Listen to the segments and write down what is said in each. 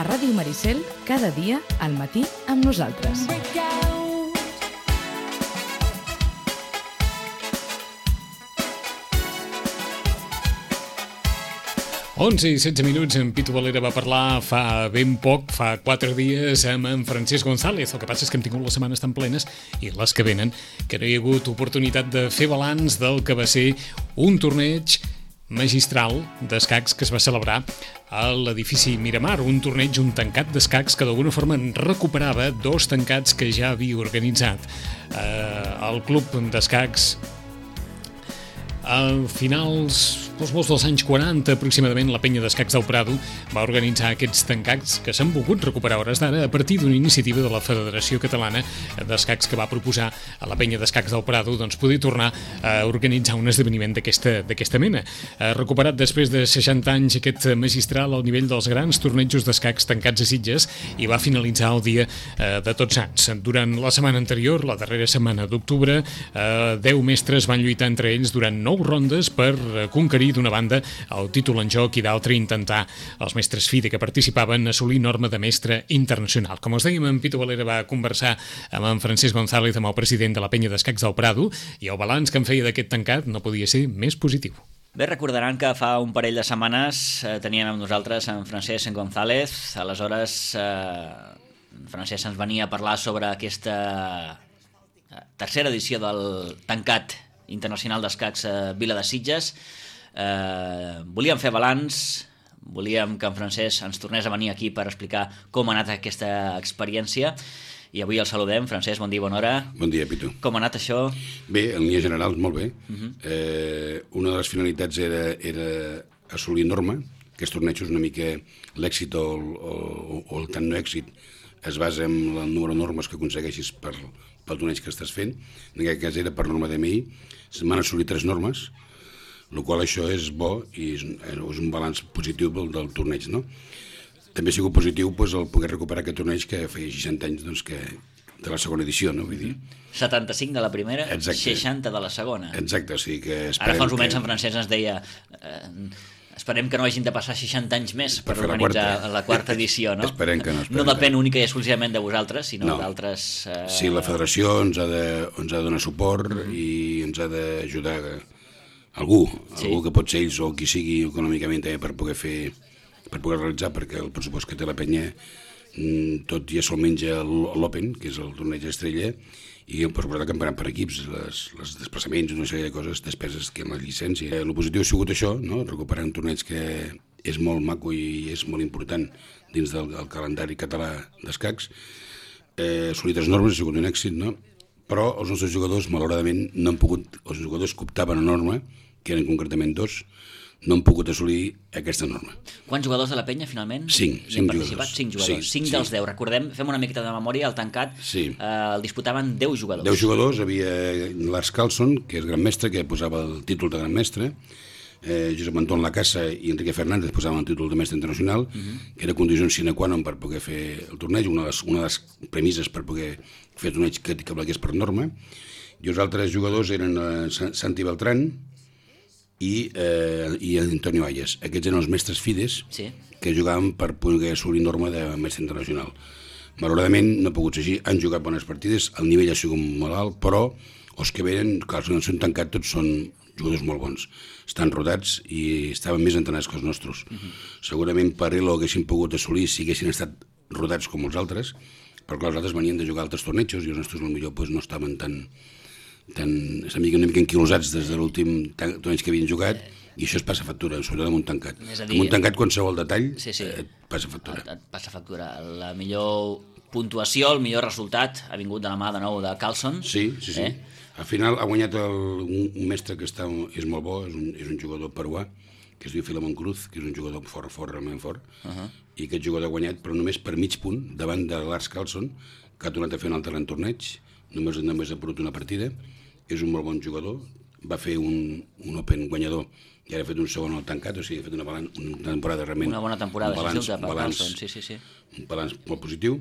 Ràdio Maricel, cada dia al matí amb nosaltres. 11:16, en Pitu Valera va parlar fa ben poc, fa 4 dies, amb en Francesc González. El que passa és que hem tingut les setmanes tan plenes, i les que venen, que no hi ha hagut oportunitat de fer balanç del que va ser un torneig magistral d'escacs que es va celebrar a l'edifici Miramar, un torneig, un tancat d'escacs que d'alguna forma recuperava 2 tancats que ja havia organitzat el club d'escacs a finals molts dels anys 40, aproximadament. La penya d'escacs del Prado va organitzar aquests tancats que s'han volgut recuperar a hores d'ara a partir d'una iniciativa de la Federació Catalana d'Escacs, que va proposar a la penya d'escacs del Prado poder tornar a organitzar un esdeveniment d'aquesta mena. Recuperat després de 60 anys aquest magistral al nivell dels grans tornejos d'escacs tancats a Sitges, i va finalitzar el dia de Tots Sants. Durant la setmana anterior, la darrera setmana d'octubre, 10 mestres van lluitar entre ells durant 9 rondes per conquerir d'una banda el títol en joc i d'altra intentar els mestres FIDE que participaven assolir norma de mestre internacional. Com us dèiem, en Pitu Valera va conversar amb en Francesc González, amb el president de la penya d'escacs del Prado, i el balanç que en feia d'aquest tancat no podia ser més positiu. Bé, recordaran que fa un parell de setmanes teníem amb nosaltres en Francesc González. Aleshores, Francesc ens venia a parlar sobre aquesta tercera edició del tancat internacional d'escacs a Vila de Sitges. Volíem fer balanç, volíem que en Francesc ens tornés a venir aquí per explicar com ha anat aquesta experiència, i avui el saludem. Francesc, bon dia, bona hora. Bon dia, Pitu. Com ha anat això? Bé, en línia general, molt bé. Una de les finalitats era assolir norma. Aquests tornejos, una mica l'èxit o el tant no èxit es basa en el número de normes que aconsegueixis pel torneig que estàs fent. En aquest cas era per norma d'MI. M'han assolit 3 normes, el qual això és bo i és un balanç positiu del torneig, no? També ha sigut positiu el poder recuperar aquest torneig que feia 60 anys de la segona edició, no? Vull dir, 75 de la primera, exacte. 60 de la segona. Exacte, o sigui que ara fa uns moments en Francesc ens deia esperem que no hagin de passar 60 anys més per organitzar la quarta edició, no? Esperem que no. No depèn única i exclusivament de vosaltres, sinó d'altres... Sí, la federació ens ha de donar suport i ens ha d'ajudar algú que pot ser ells o qui sigui econòmicament també per poder realitzar, perquè el pressupost que té la penya tot ja se'l menja l'Open, que és el torneig estrella, i per suposar que em paran per equips, els desplaçaments, una sèrie de coses, despeses que amb la llicència. El positiu ha sigut això, no? Recuperar un torneig que és molt maco i és molt important dins del calendari català d'escacs. Assolir 3 normes ha sigut un èxit, no? Però els nostres jugadors, malauradament, no han pogut, els jugadors que optaven a norma, que eren concretament 2, no han pogut assolir aquesta norma. Quants jugadors de la penya, finalment? 5 jugadors. 5 jugadors. 5 dels 10. Recordem, fem una miqueta de memòria, el tancat el disputaven 10 jugadors. 10 jugadors, havia Lars Carlson, que és gran mestre, que posava el títol de gran mestre, Josep Anton Lacassa i Enrique Fernández posaven el títol de mestre internacional, que era condició sine qua non per poder fer el torneig, una de les premisses per poder fer el torneig que valgués per norma. I els altres jugadors eren Santi Beltrán i Antonio Ayes. Aquests eren els mestres FIDES que jugaven per poder assolir norma de mestre internacional. Malauradament no ha pogut ser així, han jugat bones partides, el nivell ha sigut molt alt, però els que venen, clar, els que no s'han tancat tots són jugadors molt bons, estan rodats i estaven més entrenats que els nostres. Segurament per ell ho haguessin pogut assolir si haguessin estat rodats com els altres, perquè els altres venien de jugar altres tornejos i els nostres potser no estaven tan una mica enquilosats des de l'últim torneig que havien jugat, i això es passa factura, sobretot amb un tancat. Amb un tancat qualsevol detall et passa factura. Et passa factura. La millor puntuació, el millor resultat ha vingut de la mà de nou de Carlson. Sí. Al final ha guanyat un mestre que és molt bo, és un jugador peruà, que es diu Filemón Cruz, que és un jugador fort, realment fort, i aquest jugador ha guanyat, però només per mig punt, davant de Lars Carlson, que ha tornat a fer un altre gran torneig, només ha perdut una partida, és un molt bon jugador, va fer un Open guanyador i ara ha fet un segon al tancat, o sigui, ha fet una temporada realment... Una bona temporada, un balanç molt positiu.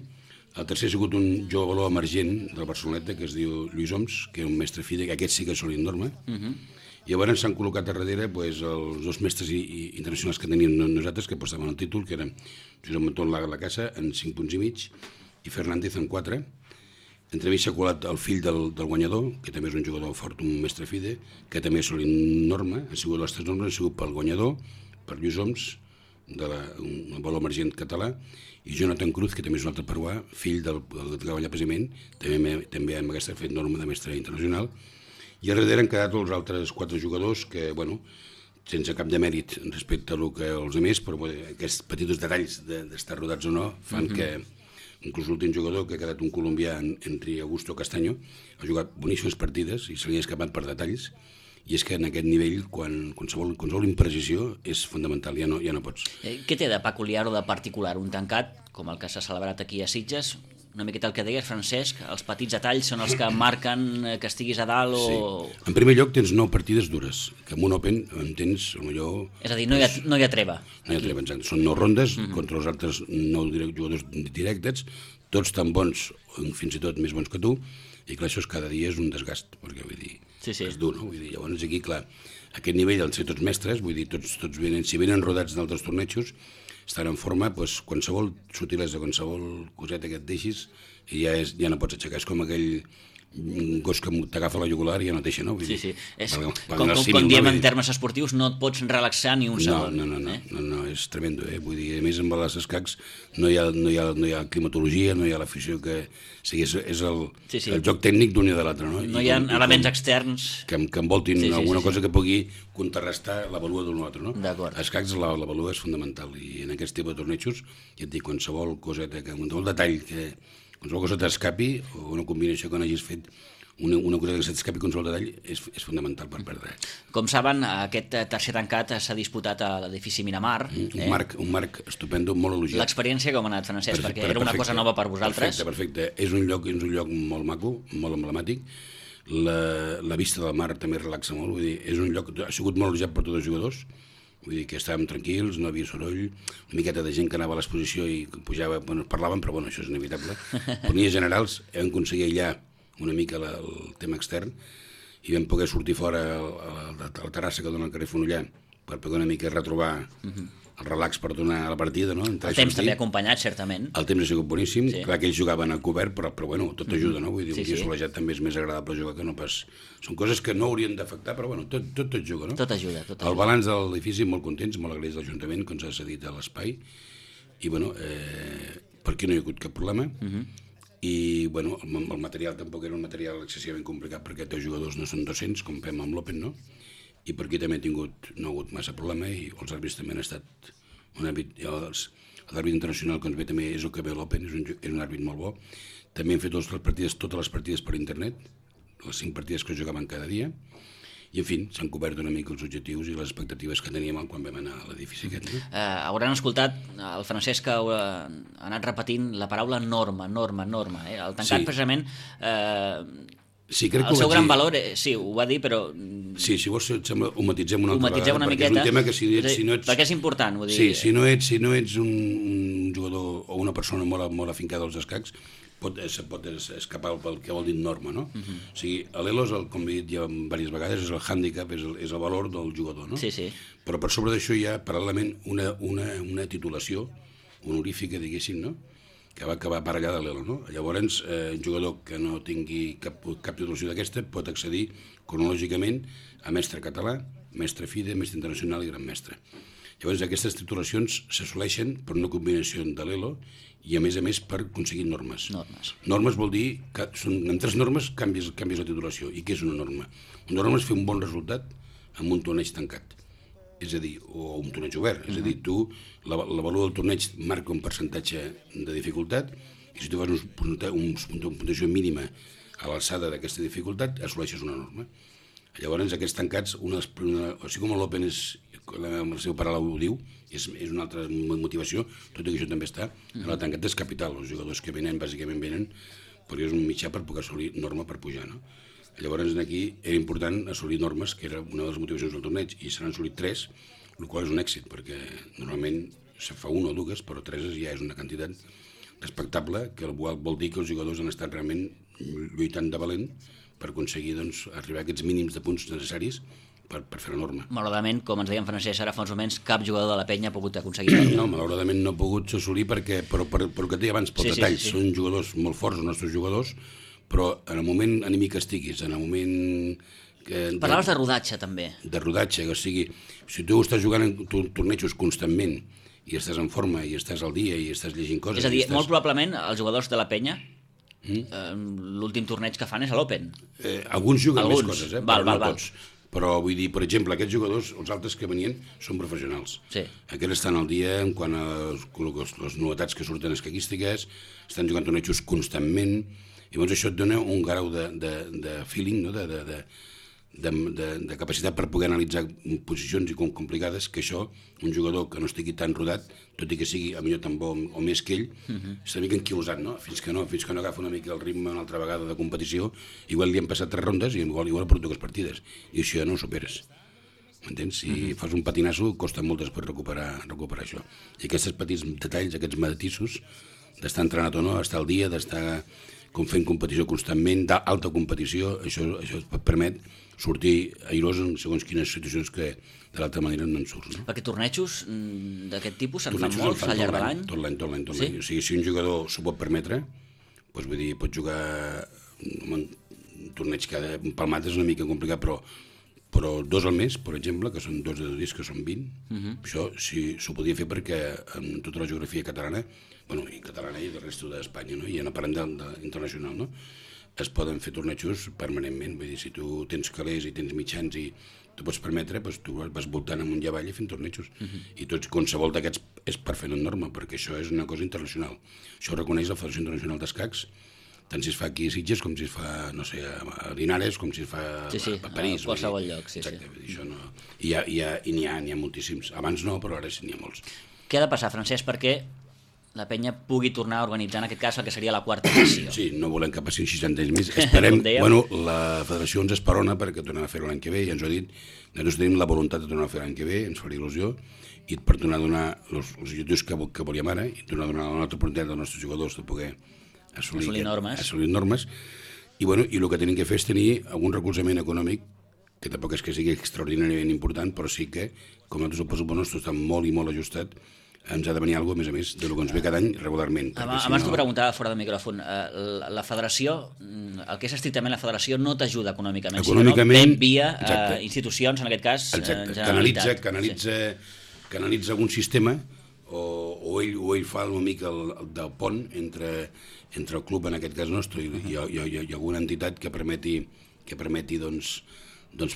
El tercer ha sigut un jugador emergent del Barceloneta, que es diu Lluís Oms, que és un mestre FIDE, que aquest sí que és assolit norma. I llavors s'han col·locat a darrere els 2 mestres internacionals que teníem nosaltres, que portaven el títol, que eren Josep Mantón la casa en 5 punts i mig i Fernández en 4. Entremig s'ha colat el fill del guanyador, que també és un jugador fort, un mestre fide, que també ha assolit norma, ha sigut les 3 normes, ha sigut pel guanyador, per Lluís Oms, un valor emergent català, i Jonathan Cruz, que també és un altre peruà, fill del que treballa precisament, també amb aquesta fet norma de mestre internacional, i a darrere han quedat els altres 4 jugadors que, bueno, sense cap de mèrit respecte a lo que els altres, però aquests petits detalls d'estar rodats o no fan que inclús l'últim jugador, que ha quedat un colombià, Henry Augusto Castaño, ha jugat boníssimes partides i se li ha escapat per detalls, i és que en aquest nivell, qualsevol imprecisió és fundamental, ja no pots. Què té de peculiar o de particular un tancat, com el que s'ha celebrat aquí a Sitges? Una miqueta el que deies, Francesc, els petits detalls són els que marquen que estiguis a dalt o... Sí. En primer lloc tens 9 partides dures, que en un Open en tens millor... És a dir, no hi ha treva. No hi ha treva, exacte. Són 9 rondes contra els altres 9 jugadors directes, tots tan bons, fins i tot més bons que tu, i clar, això cada dia és un desgast, perquè vull dir, és dur, no? Vull dir, llavors aquí, clar, aquest nivell, al ser tots mestres, vull dir, tots venen, si venen rodats d'altres tornejos, estan en forma, doncs, qualsevol sutilesa, qualsevol coseta que et deixis, ja no pots aixecar. És com aquell gos que t'agafa la jugular i ja no et deixa, no? Vull dir, com diem en termes esportius, no et pots relaxar ni un segon. No, és tremendo, Vull dir, a més, amb els escacs no hi ha climatologia, no hi ha l'afició que... O sigui, és el joc tècnic d'un i de l'altre, no? No hi ha elements externs... Que envoltin alguna cosa que pugui contrarrestar la valua d'un altre, no? D'acord. Escacs, la valua és fundamental, i en aquest tipus de tornejos, ja et dic, qualsevol coseta, qualsevol detall qualsevol cosa t'escapi, o una combinació que no hagis fet, una cosa que s'escapi qualsevol detall, és fundamental per perdre. Com saben, aquest tercer tancat s'ha disputat a l'edifici Miramar. Un marc estupendo, molt elogiat. L'experiència com ha anat, Francesc? Perquè era una cosa nova per vosaltres. Perfecte. És un lloc molt maco, molt emblemàtic. La vista del mar també relaxa molt, vull dir, és un lloc, ha sigut molt elogiat per tots els jugadors. Vull dir que estàvem tranquils, no havia soroll, una miqueta de gent que anava a l'exposició i pujava, parlaven, però això és inevitable. Per línies generals hem aconseguit aïllar una mica el tema extern i vam poder sortir fora a la terrassa que dona al carrer Fonollar per poder una mica retrobar el relax per tornar a la partida, no? El temps també ha acompanyat, certament. El temps ha sigut boníssim, clar que ells jugaven a cobert, però tot ajuda, no? Vull dir, un dia solejat també és més agradable jugar que no pas... Són coses que no haurien d'afectar, però tot juga, no? Tot ajuda. El balanç de l'edifici, molt contents, molt agraïts de l'Ajuntament, que ens ha cedit a l'espai, i per aquí no hi ha hagut cap problema, i el material tampoc era un material excessivament complicat, perquè els jugadors no són 200, com fem amb l'Open, no? I per aquí també no ha hagut massa problema, i els àrbits també han estat l'àrbit internacional que ens ve també és el que ve a l'Open, és un àrbit molt bo. També hem fet totes les partides per internet, les 5 partides que jugaven cada dia, i en fi, s'han cobert una mica els objectius i les expectatives que teníem quan vam anar a l'edifici aquest. Hauran escoltat el Francesc que ha anat repetint la paraula norma. El tancat precisament... Sí, crec que el seu gran valor, sí, ho va dir, però... Sí, si vols, sembla, ho matitzem una altra vegada, una miqueta, és un tema que si no ets... Perquè és important, vull dir... Sí, si no ets un jugador o una persona molt afincada als escacs, pot escapar pel que vol dir norma, no? O sigui, l'ELO, com he dit ja diverses vegades, és el hàndicap, és el valor del jugador, no? Sí. Però per sobre d'això hi ha, paral·lelament, una titulació honorífica, diguéssim, no?, que va acabar aparellada a l'ELO, no? Llavors, un jugador que no tingui cap titulació d'aquesta pot accedir cronològicament a mestre català, mestre FIDE, mestre internacional i gran mestre. Llavors, aquestes titulacions s'assoleixen per una combinació de l'ELO i, a més, per aconseguir normes. Normes vol dir que en 3 normes canvies la titulació. I què és una norma? Una norma és fer un bon resultat amb un torneig tancat. És a dir, o un torneig obert, és a dir, tu, la valua del torneig marca un percentatge de dificultat i si tu fas una puntuació mínima a l'alçada d'aquesta dificultat, assoleixes una norma. Llavors, aquests tancats, o sigui com l'Open és, el seu pare ho diu, és una altra motivació, tot i que això també està, el tancat és capital, els jugadors que venen, bàsicament venen, perquè és un mitjà per poder assolir norma per pujar, no? Llavors, aquí era important assolir normes, que era una de les motivacions del torneig, i se n'han assolit 3, el qual és un èxit, perquè normalment se fa 1 o 2, però 3 ja és una quantitat respectable, que vol dir que els jugadors han estat realment lluitant de valent per aconseguir arribar a aquests mínims de punts necessaris per fer la norma. Malauradament, com ens deia en Francesc ara fa uns moments, cap jugador de la penya ha pogut aconseguir això. No, malauradament no ha pogut assolir perquè, però que et deia abans, pels detalls, són jugadors molt forts, els nostres jugadors, però en el moment anímic que estiguis, en el moment... Parlaves de rodatge, també. De rodatge, o sigui, si tu estàs jugant en tornejos constantment i estàs en forma i estàs al dia i estàs llegint coses... És a dir, molt probablement els jugadors de la penya l'últim torneig que fan és a l'Open. Alguns juguen més coses, val. Tots. Però vull dir, per exemple, aquests jugadors, els altres que venien, són professionals. Sí. Aquests estan al dia en quant a les novetats que surten escaquístiques, estan jugant tornejos constantment, i llavors això et dona un grau de feeling, no? de capacitat per poder analitzar posicions i complicades, que això, un jugador que no estigui tan rodat, tot i que sigui a millor tan bo o més que ell, està una mica enquilosat, no? Fins que no agafa una mica el ritme una altra vegada de competició, igual li han passat 3 rondes i igual ha perdut 2 partides, i això ja no ho superes. M'entens? Si fas un patinasso, costa molt després recuperar això. I aquests petits detalls, aquests matisos, d'estar entrenat o no, estar al dia, d'estar fent competició constantment, d'alta competició, això et permet sortir airós en segons quines situacions que de l'altra manera no en surts. No? Perquè tornejos d'aquest tipus se'n fan molts al llarg de l'any? Tot l'any. O sigui, si un jugador s'ho pot permetre, doncs vull dir, pot jugar un torneig cada palmat és una mica complicat, però 2 al mes, per exemple, que són 2 de 2 dies, que són 20, això sí s'ho podia fer perquè en tota la geografia catalana, i catalana i del resto d'Espanya, no? I no parlem d'internacional, no? Es poden fer tornejos permanentment, vull dir, si tu tens calés i tens mitjans i tu pots permetre, doncs tu vas voltant amunt i avall i fent tornejos. I tots, qualsevol d'aquests és per fer una norma, perquè això és una cosa internacional. Això ho reconeix la Federació Internacional d'Escacs, tant si es fa aquí a Sitges com si es fa, no sé, a Linares, com si es fa a París. A qualsevol lloc, Exacte, això no... I n'hi ha moltíssims. Abans no, però ara sí n'hi ha molts. Què ha de passar, Francesc, perquè la penya pugui tornar a organitzar, en aquest cas, el que seria la 4ª edició? Sí, no volem que passin 60 anys més. Esperem, la federació ens esperona perquè tornem a fer-ho l'any que ve, i ens ho ha dit, nosaltres tenim la voluntat de tornar a fer l'any que ve, ens faria il·lusió, i per tornar a donar els objectius que volíem ara, i tornar a donar una altra oportunitat als nostres jugadors de poder assolir normes. I el que tenim que fer és tenir algun recolzament econòmic, que tampoc és que sigui extraordinàriament important, però sí que, com nosaltres el pressupost nostre està molt i molt ajustat, ens ha de venir alguna cosa, a més del que ens ve cada any regularment. Abans t'ho preguntava fora de micròfon. La federació, el que és estrictament la federació, no t'ajuda econòmicament, sinó ve via institucions, en aquest cas, Generalitat. Canalitza algun sistema, o ell fa una mica del pont entre el club, en aquest cas nostre, i alguna entitat que permeti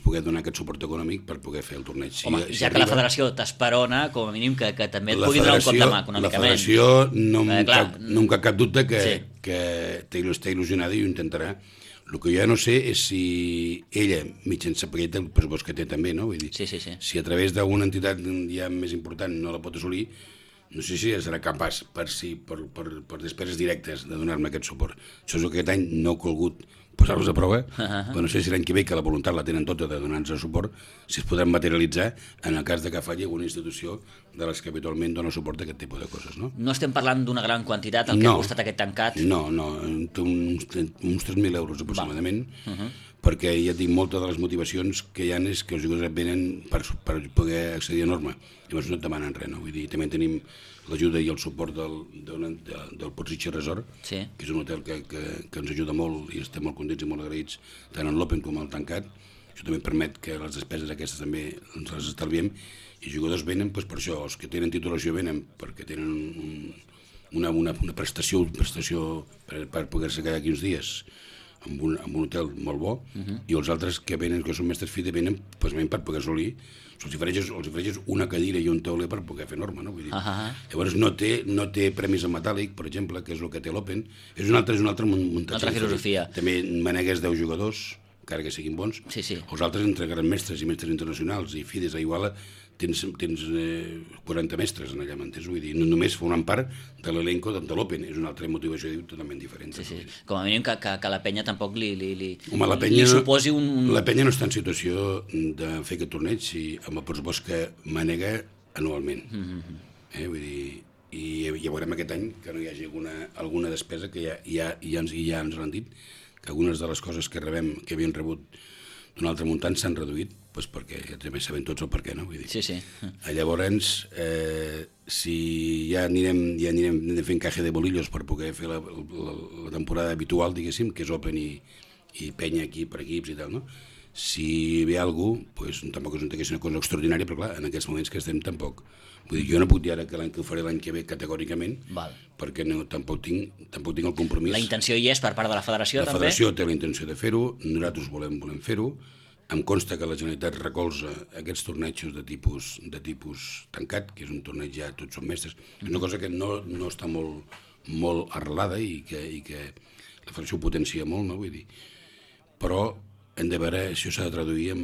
poder donar aquest suport econòmic per poder fer el torneig. Home, ja que la federació t'esperona, com a mínim que també et pugui donar un cop de mà econòmicament. La federació no em cap dubte que està il·lusionada i ho intentarà. El que jo ja no sé és si ella, mitjançant el pressupost que té també, no? Vull dir, si a través d'alguna entitat ja més important no la pot assolir, no sé si serà capaç per despeses directes de donar-me aquest suport. Això és el que aquest any no he colgut posar-los a prova, però no sé si l'any que ve, que la voluntat la tenen tota de donar-nos suport, si es podran materialitzar en el cas de que falli alguna institució de les que habitualment dona suport a aquest tipus de coses. No estem parlant d'una gran quantitat, el que ha costat aquest tancat? No, uns 3.000 euros aproximadament, perquè ja et dic, moltes de les motivacions que hi ha és que els jugadors venen per poder accedir a norma, llavors no et demanen res, no? Vull dir, també tenim l'ajuda i el suport del Portsitxa Resort, que és un hotel que ens ajuda molt i estem molt contents i molt agraïts, tant en l'Open com al tancat. Això també permet que les despeses aquestes també ens les estalviem, i els jugadors venen per això, els que tenen titulació venen perquè tenen una prestació per poder-se quedar aquí uns dies amb un hotel molt bo, i els altres que venen, que són mestres FIDE, venen per poder assolir. Els ofereixes una cadira i un tauler per poder fer norma, no? Vull dir, llavors no té premis en metàl·lic, per exemple, que és el que té l'Open, és una altra muntatge. Altra filosofia. També manegues 10 jugadors, encara que siguin bons. Els altres, entre grans mestres i mestres internacionals i FIDEs a Iguala, tens 40 mestres en allà, m'entens? Vull dir, no només formen part de l'elenco de l'Open, és una altra motivació totalment diferent. Com a mínim que la penya tampoc li suposi un... La penya no està en situació de fer aquest torneig amb el pressupost que manega anualment. Vull dir, i ja veurem aquest any que no hi hagi alguna despesa, que ja ens l'han dit, que algunes de les coses que rebem, que havien rebut d'un altre muntant s'han reduït, perquè també sabem tots el per què, no? Vull dir. Sí. Llavors, si ja anirem fent caja de bolillos per poder fer la temporada habitual, diguéssim, que és Open i penya aquí per equips i tal, no? Si ve algú, doncs tampoc és una cosa extraordinària, però clar, en aquests moments que estem tampoc. Vull dir, jo no puc dir ara que l'any que ho faré l'any que ve categòricament, perquè tampoc tinc el compromís. La intenció hi és per part de la federació, també? La federació té la intenció de fer-ho, nosaltres volem fer-ho. Em consta que la Generalitat recolza aquests tornejos de tipus tancat, que és un torneig ja tots són mestres. És una cosa que no està molt arrelada i que la federació ho potencia molt, no? Vull dir. Però hem de veure si s'ha de traduir en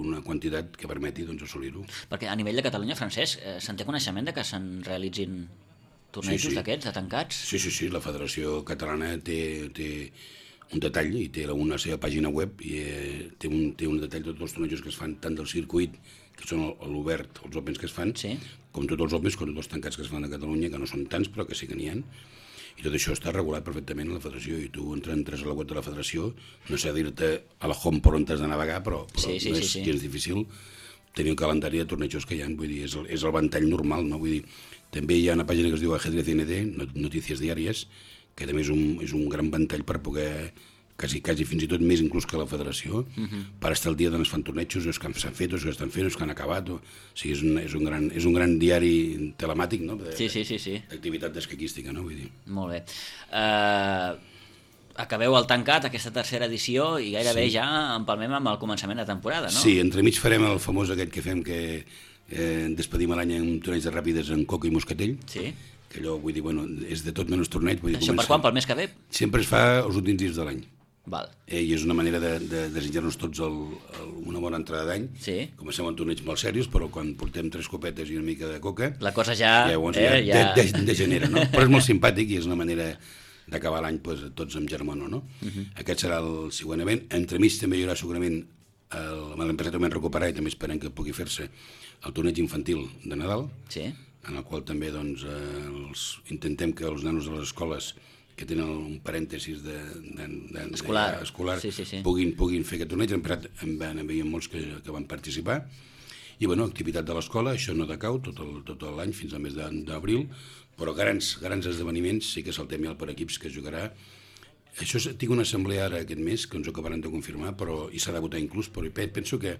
una quantitat que permeti assolir-ho. Perquè a nivell de Catalunya, Francesc, se'n té coneixement de que se'n realitzin tornejos d'aquests, de tancats? Sí, la Federació Catalana té un detall i té una seva pàgina web i té un detall de tots els tornejos que es fan, tant del circuit, que són l'obert, els Opens que es fan, com tots els Opens, com tots els tancats que es fan a Catalunya, que no són tants, però que sí que n'hi ha. I tot això està regulat perfectament a la federació i tu entres a la web de la federació, no sé dir-te a la home per on t'has de navegar, però no és gens difícil tenir el calendari de tornejos que hi ha, vull dir, és el ventall normal, no? Vull dir, també hi ha una pàgina que es diu Ajedrez ND, Notícies Diàries, que també és un gran ventall per poder, quasi fins i tot més inclús que la federació, per estar al dia d'on es fan tornejos, els que s'han fet, els que estan fent, els que han acabat. O sigui, és un gran diari telemàtic, no? D'activitat escaquística, no? Vull dir. Molt bé. Acabeu el tancat, aquesta tercera edició, i gairebé ja empalmem amb el començament de temporada, no? Sí, entremig farem el famós aquest que fem, que despedim l'any en un torneig de ràpides en Coca i Moscatell. Sí. Que allò, vull dir, és de tot menys torneig. Això per quan? Pel mes que ve? Sempre es fa els últims dies de l'any. Val. I és una manera de desitjar-nos tots una bona entrada d'any. Sí. Comencem amb torneigs molt serios, però quan portem 3 copetes i una mica de coca... La cosa ja degenera, no? Però és molt simpàtic i és una manera d'acabar l'any tots amb germano, no? Aquest serà el següent event. Entremig també hi haurà segurament l'empresa també recuperar i també esperem que pugui fer-se el torneig infantil de Nadal, en el qual també intentem que els nanos de les escoles que tenen un parèntesis escolar puguin fer aquest torneig. En veiem molts que van participar. I, activitat de l'escola, això no decau tot l'any fins al mes d'abril, però grans esdeveniments sí que és el tema per equips que jugarà. Això tinc una assemblea ara aquest mes, que ens ho acabaran de confirmar, i s'ha de votar inclús, però penso que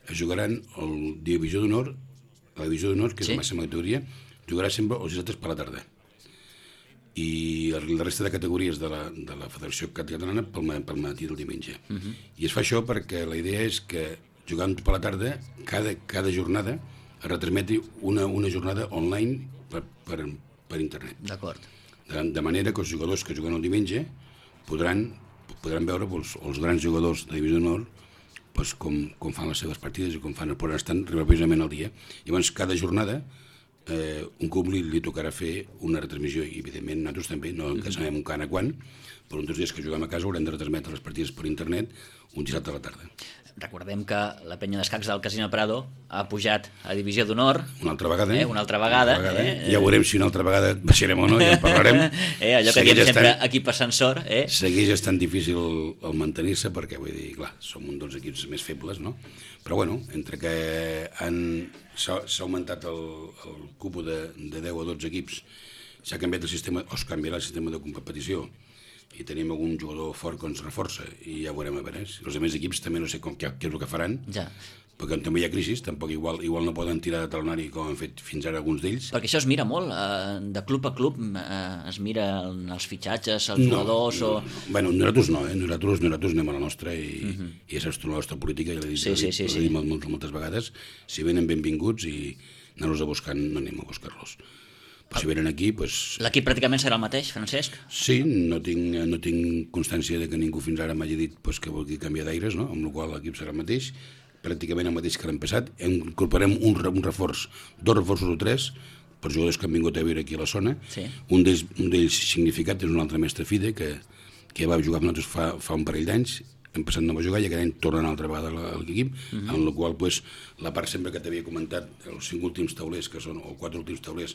es jugaran el Divisió d'Honor, la Divisió d'Honor, que és la màxima categoria, jugarà sempre els dissabtes per la tarda. I la resta de categories de la Federació Catalana pel matí del diumenge. I es fa això perquè la idea és que jugant per la tarda, cada jornada es retransmeti una jornada online per internet. D'acord. De manera que els jugadors que juguen el diumenge podran veure els grans jugadors de Divisió d'Honor com fan les seves partides i com podran estar precisament al dia. Llavors, cada jornada un club li tocarà fer una retransmissió i evidentment nosaltres també, no que sabem encara quan, però uns 2 dies que juguem a casa haurem de retransmetre les partides per internet un dissabte a la tarda. Recordem que la penya d'escacs del Casino Prado ha pujat a Divisió d'Honor una altra vegada. Ja veurem si una altra vegada baixarem o no, ja en parlarem. Allò que diem sempre equip ascensor. Segueix estant difícil el mantenir-se perquè, vull dir, clar, som un dels equips més febles, no? Però entre que s'ha augmentat el cupo de 10 o 12 equips, s'ha canviat el sistema, o es canviarà el sistema de competició, i tenim algun jugador fort que ens reforça, i ja ho veurem a veure. Els altres equips també no sé què és el que faran, perquè també hi ha crisi, tampoc igual no poden tirar de talonari com han fet fins ara alguns d'ells. Perquè això es mira molt, de club a club es mira els fitxatges, els jugadors o... Bueno, nosaltres no, nosaltres anem a la nostra i ja saps tu la nostra política, ja l'he dit moltes vegades, si venen benvinguts i anar-los a buscar, no anem a buscar-los. Si venen aquí, L'equip pràcticament serà el mateix, Francesc? Sí, no tinc constància de que ningú fins ara m'hagi dit que vulgui canviar d'aires, no? Amb la qual l'equip serà el mateix, pràcticament el mateix que l'any passat. Incorporem un reforç, 2 reforços o 3, per jugadors que han vingut a viure aquí a la zona. Un d'ells significat és un altre mestre FIDE que va jugar amb nosaltres fa un parell d'anys, hem passat no va jugar i aquest any tornen altra vegada a l'equip, en la qual la part sempre que t'havia comentat, els 5 últims taulers, o 4 últims taulers,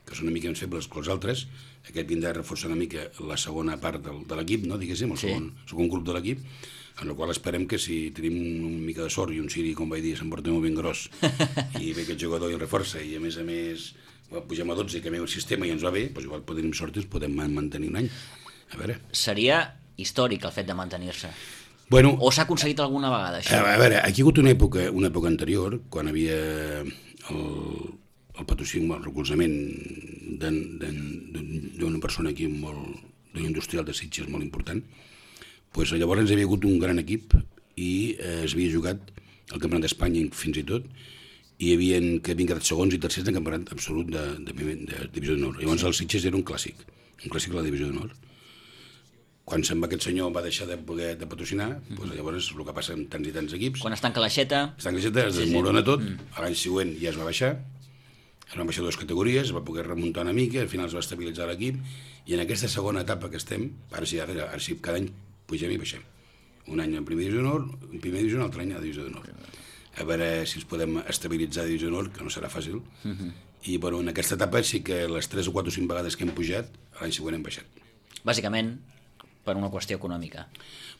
que són una mica més febles que els altres. Aquest vindrà a reforçar una mica la segona part de l'equip, no? Diguéssim, el segon grup de l'equip, en el qual esperem que si tenim una mica de sort i un Siri, com vaig dir, s'emporta molt ben gros i ve aquest jugador i el reforça i a més pugem a 12 i canviem el sistema i ens va bé, doncs igual tenim sort i ens podem mantenir un any. A veure. Seria històric el fet de mantenir-se. Bueno, o s'ha aconseguit alguna vegada, això? A veure, aquí ha hagut una època anterior, quan havia el patrocini, el recolzament d'una persona aquí d'un industrial de Sitges molt important, doncs llavors hi havia hagut un gran equip i es havia jugat el Campionat d'Espanya fins i tot, i havien quedat segons i tercers en campionat absolut de Divisió d'Honor. Llavors el Sitges era un clàssic de la Divisió d'Honor. Quan se'n va aquest senyor va deixar de poder patrocinar, doncs llavors és el que passa amb tants i tants equips. Quan es tanca l'aixeta... Es desmorona tot, l'any següent ja es va baixar, es van baixar 2 categories, es va poder remuntar una mica, al final es va estabilitzar l'equip, i en aquesta segona etapa que estem, ara sí, cada any pugem i baixem. Un any en primera divisió d'honor, un altre any a divisió d'honor. A veure si ens podem estabilitzar a divisió d'honor, que no serà fàcil. I bueno, en aquesta etapa sí que les 3 o 4 o 5 vegades que hem pujat, l'any següent hem baixat. Bàsicament, per una qüestió econòmica.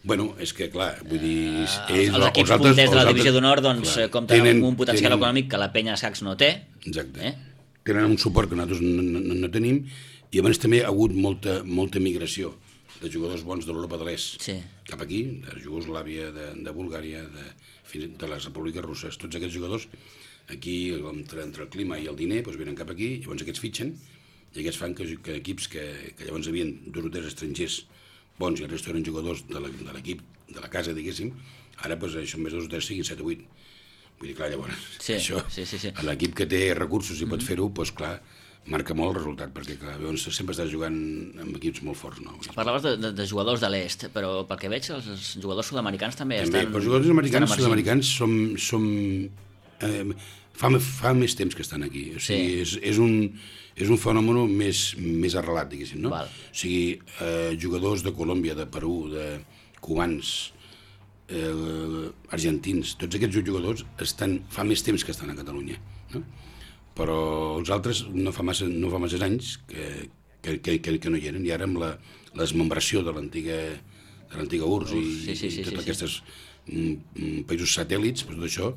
Bueno, és que clar, vull dir... Els equips punters de la divisió d'honor compten amb un potencial econòmic que la penya escacs no té. Exacte. Tenen un suport que nosaltres no tenim, i a més també ha hagut molta migració de jugadors bons de l'Europa de l'Est cap aquí, de Iugoslàvia, de Bulgària, de les repúbliques russes. Tots aquests jugadors aquí, entre el clima i el diner, venen cap aquí, llavors aquests fitxen, i aquests fan que equips que llavors havien 2 o 3 estrangers bons i el resto eren jugadors de l'equip, de la casa, diguéssim, ara això més 2 o 3 siguin 7 o 8. Vull dir, clar, llavors, això, l'equip que té recursos i pot fer-ho, doncs clar, marca molt el resultat, perquè clar, sempre estàs jugant amb equips molt forts. No? Parlaves de jugadors de l'est, però pel que veig els jugadors sud-americans també estan... Els jugadors sud-americans fa més temps que estan aquí. O sigui, és un fenomen més arrelat, diguéssim, no? O sigui, jugadors de Colòmbia, de Perú, de cubans, argentins, tots aquests jugadors fa més temps que estan a Catalunya, no? Però els altres no fa massa anys que no hi eren, i ara amb la desmembració de l'antiga URSS i tots aquests països satèl·lits, tot això,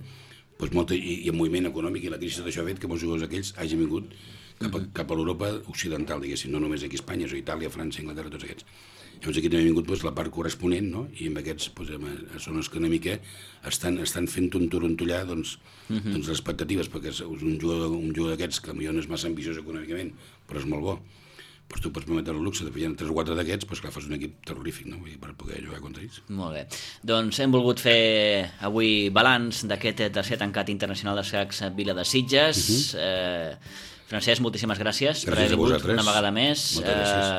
i el moviment econòmic i la crisi, tot això ha fet que molts jugadors aquells hagin vingut cap a l'Europa occidental, diguéssim, no només aquí a Espanya, sinó Itàlia, França, Anglaterra, tots aquests. Llavors aquí també ha vingut la part corresponent, no? I amb aquests són els que una mica estan fent un torontollar les expectatives, perquè és un jugador d'aquests que potser no és massa ambiciós econòmicament, però és molt bo. Doncs tu pots permetre el luxe de fer 3 o 4 d'aquests, doncs clar, fas un equip terrorífic, no? Per poder jugar contra ells. Molt bé. Doncs hem volgut fer avui balanç d'aquest tercer tancat internacional d'escacs Vila de Sitges. Francesc, moltíssimes gràcies per haver vingut una vegada més.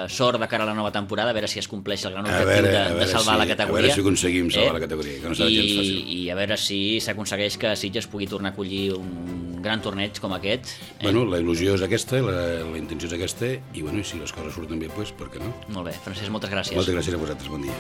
Sort de cara a la nova temporada, a veure si es compleix el gran objectiu de salvar la categoria. A veure si aconseguim salvar la categoria, que no serà gens fàcil. I a veure si s'aconsegueix que Sitges pugui tornar a acollir un gran torneig com aquest. Bueno, la il·lusió és aquesta, la intenció és aquesta, i si les coses surten bé, doncs per què no? Molt bé, Francesc, moltes gràcies. Moltes gràcies a vosaltres, bon dia.